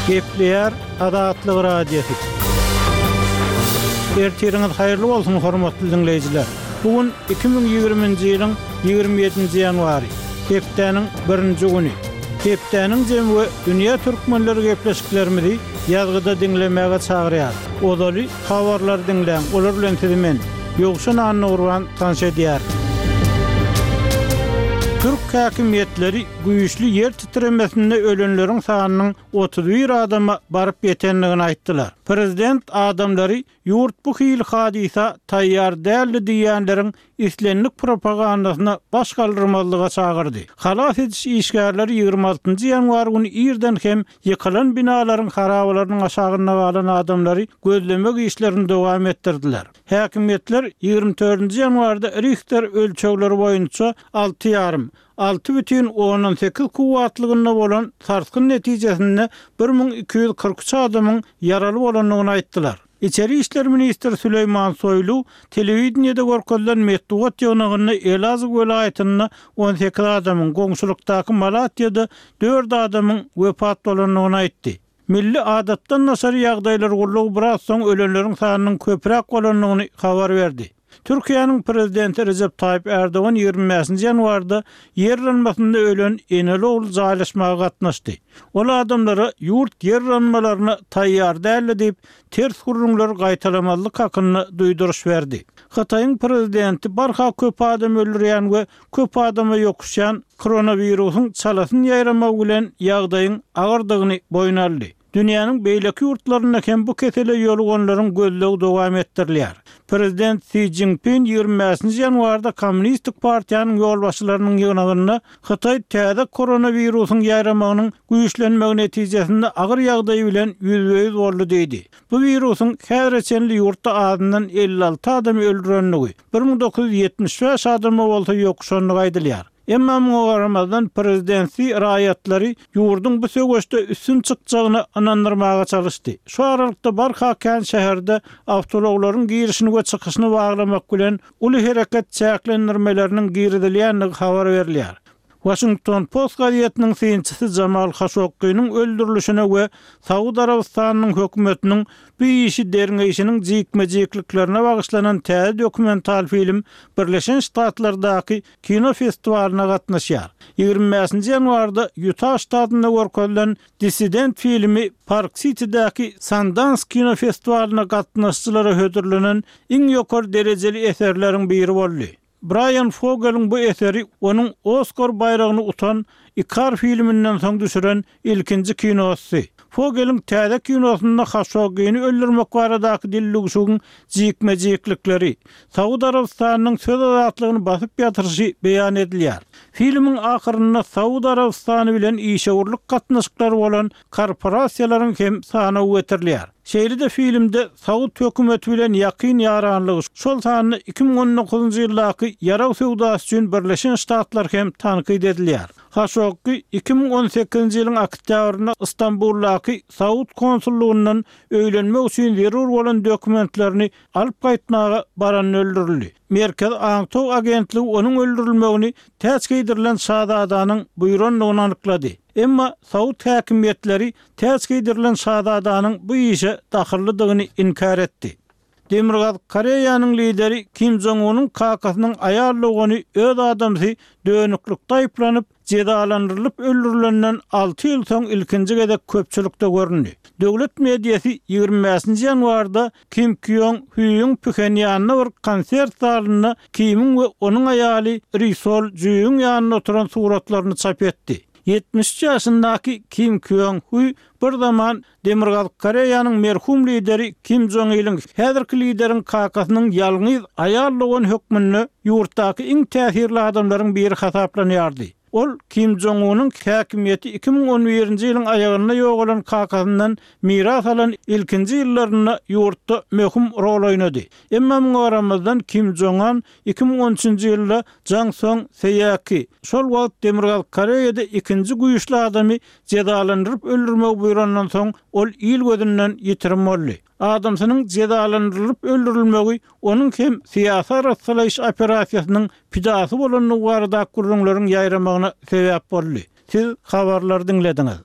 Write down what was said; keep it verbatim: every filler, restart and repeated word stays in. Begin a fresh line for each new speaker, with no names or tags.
Gepleýär Azatlyk Radiosy. Ertiriňiz haýyrly bolsun hormatly diňleýjiler. Bu gün iki müň ýigriminji ýylyň ýigrimi ýedinji ýanwary, hepdäniň birinji güni. Hepdäniň jemi we dünýä türkmenleri gepleşiklerimizi ýazgyda diňlemäge çagyrýar. Ozaly habarlary diňläň, olar bilen sizi men, Ýowşan Annagurban tanyş edýär. Türk häkimiýetleri güýçli ýer titremesinde ölenleriň sanynyň otuz bir adama baryp ýetendigini aýtdylar. Prezident adamlary ýurt bu hili hadysa taýýar däldi diýenleriň islendik propagandasyna baş galdyrmazlyga çagyrdy. Halas ediş işgärleri ýigrimi altynjy ýanwar güni irden hem ýykylan binalaryň harabalarynyň aşagynda galan adamlary gözlemek işlerini dowam etdirdiler. Häkimiýetler ýigrimi dördünji ýanwarda Richter ölçegleri boýunça alty ýarym, alty bütin ondan sekiz kuwwatlygynda bolan sarsgyn netijesinde bir müň iki ýüz kyrk üç adamyň ýaraly bolandygyny aýtdylar. Içeri işler ministri Süleýman Soýlu telewideniýede görkezilen metbugat ýygnagynda Elazig welaýatynda on sekiz adamyň, goňşulykdaky Malatýada dört adamyň wepat bolandygyny aýtdy. Milli adatdan daşary ýagdaýlar gullugy biraz soň ölenleriň sanynyň köpräk bolandygyny habar berdi. Türkiýäniň prezidenti Rejep Taýyp Erdogan ýigrimi bäşinji ýanwarda ýer yranmasynda ölen eneli ogul jaýlaşmaga gatnaşdy. Ol adamlara ýurt ýer yranmalaryna taýýar däldi diýip, ters gürrüňleri gaýtalamazlyk hakynda duýduryş berdi. Hytaýyň prezidenti barha köp adam öldürýän we köp adama ýokuşýan koronawirusyň çalasyn ýaýramagy bilen ýagdaýyň agyrdygyny boýun aldy. Dünýäniň beýleki ýurtlarynda hem bu kesele ýoluganlaryň gözlegi dowam etdirilýär. Prezident Si Jinping ýigrimi bäşinji ýanwarda Kommunistik partiýanyň ýolbaşçylarynyň ýygnagynda Hytaý täze koronawirusyň ýaýramagynyň güýçlenmegi netijesinde agyr ýagdaý bilen ýüzbe-ýüz boldy diýdi. Bu wirusyň häzire çenli ýurtda azyndan elli alty adamy öldürendigi, bir müň dokuz ýüz ýetmiş bäş adama bolsa ýokuşandygy aýdylýar. Emma muňa garamazdan prezident Si raýatlary ýurduň bu söweşde üstün çykjagyna ynandyrmaga çalyşdy. Şu aralykda barha kän şäherde awtoulaglaryň girişini we çykyşyny baglamak bilen uly hereket çäklendirmeleriniň girizilýändigi habar berilýär. Washington Post gazetiniň synçysy Jamal Khashoggi-niň öldürilişine we Saud Arabystanynyň hökümetiniň bu işi derňeýşiniň jikme-jikliklerine bagyşlanan täze dokumental film Birleşen Ştatlardaky kino festiwalyna gatnaşýar. Ýigrimi bäşinji ýanwarda Ýuta ştatynda görkezilen Dissident filmi Park City'däki Sundance kino festiwalyna gatnaşyjylara hödürlenen iň ýokary derejeli eserleriň biri boldy. Brian Fogeliň bu eseri onuň Oskar baýragyny utan Ikar filminden soň düşüren ilkinji kinosy. Fogeliň täze kinosynda Khashoggi-ni öldürmek baradaky dillüwşügiň jikme-jiklikleri, Saud Arabystanynyň söz azatlygyny basyp ýatyryşy beýan edilýär. Filmiň ahyrynda Saud Arabystany bilen işewürlik gatnaşyklary bolan korporasiýalaryň hem sanawy getirilýär. Şeýle-de filmde Saud hökümeti bilen ýakyn ýaranlygy, şol sanda iki müň on dokuzynjy ýyldaky ýarag söwdasy üçin Birleşen Ştatlar hem tankyt edilýär. Khashoggi iki müň on sekizinji ýylyň oktýabrynda Istanbuldaky Saud konsullugyndan öýlenmek üçin zerur bolan dokumentlerini alyp gaýtmaga baranda öldürildi. Merkezi aňtaw agentligi onuň öldürilmegini täç geýdirilen şazadanyň buýrandygyny anyklady. Emma Saud häkimiýetleri täç geýdirilen şazadanyň bu işe dahyllydygyny inkär etdi. Demirgazyk Koreýanyň lideri Kim Jong-unyň kakasynyň aýal dogany öz adamsy dönüklikde aýyplanyp, jezalandyrylyp öldürilenden alty ýyl soň ilkinji gezek köpçülikde göründi. Döwlet mediasy ýigrimi bäşinji ýanwarda Kim Kýong Hýuň Phenýanda bir konsert zalynda Kimiň we onuň aýaly Ri Sol Jüýüň ýanynda oturan suratlaryny çap etdi. Ýetmiş üç ýaşyndaky Kim Kýong Hü bir zaman Demirgazyk Koreýanyň merhum lideri Kim Jong Iliň häzirki lideriň kakasynyň ýalňyz aýal dogan hökmünde ýurtdaky iň täsirli adamlaryň biri hasaplanýardy. Ol Kim Jong Unyň häkimiýeti iki müň on birinji ýylyň aýagynda ýogalan kakasyndan miras alan ilkinji ýyllarynda ýurtda möhüm rol oýnady. Emma muňa garamazdan Kim Jong Un iki müň on üçünji ýylda Jang Song Seýaki, şol wagt Demirgazyk Koreýada ikinji güýçli adamy jezalandyryp öldürmegi buýrandan soň ol il gözünden ýitirim boldy. Adamsynyň jezalandyrylyp öldürilmegi onuň hem syýasy arassalaýyş operasiýasynyň pidasy bolandygy baradaky gürrüňleriň ýaýramagyna sebäp boldy. Siz habarlary diňlediňiz.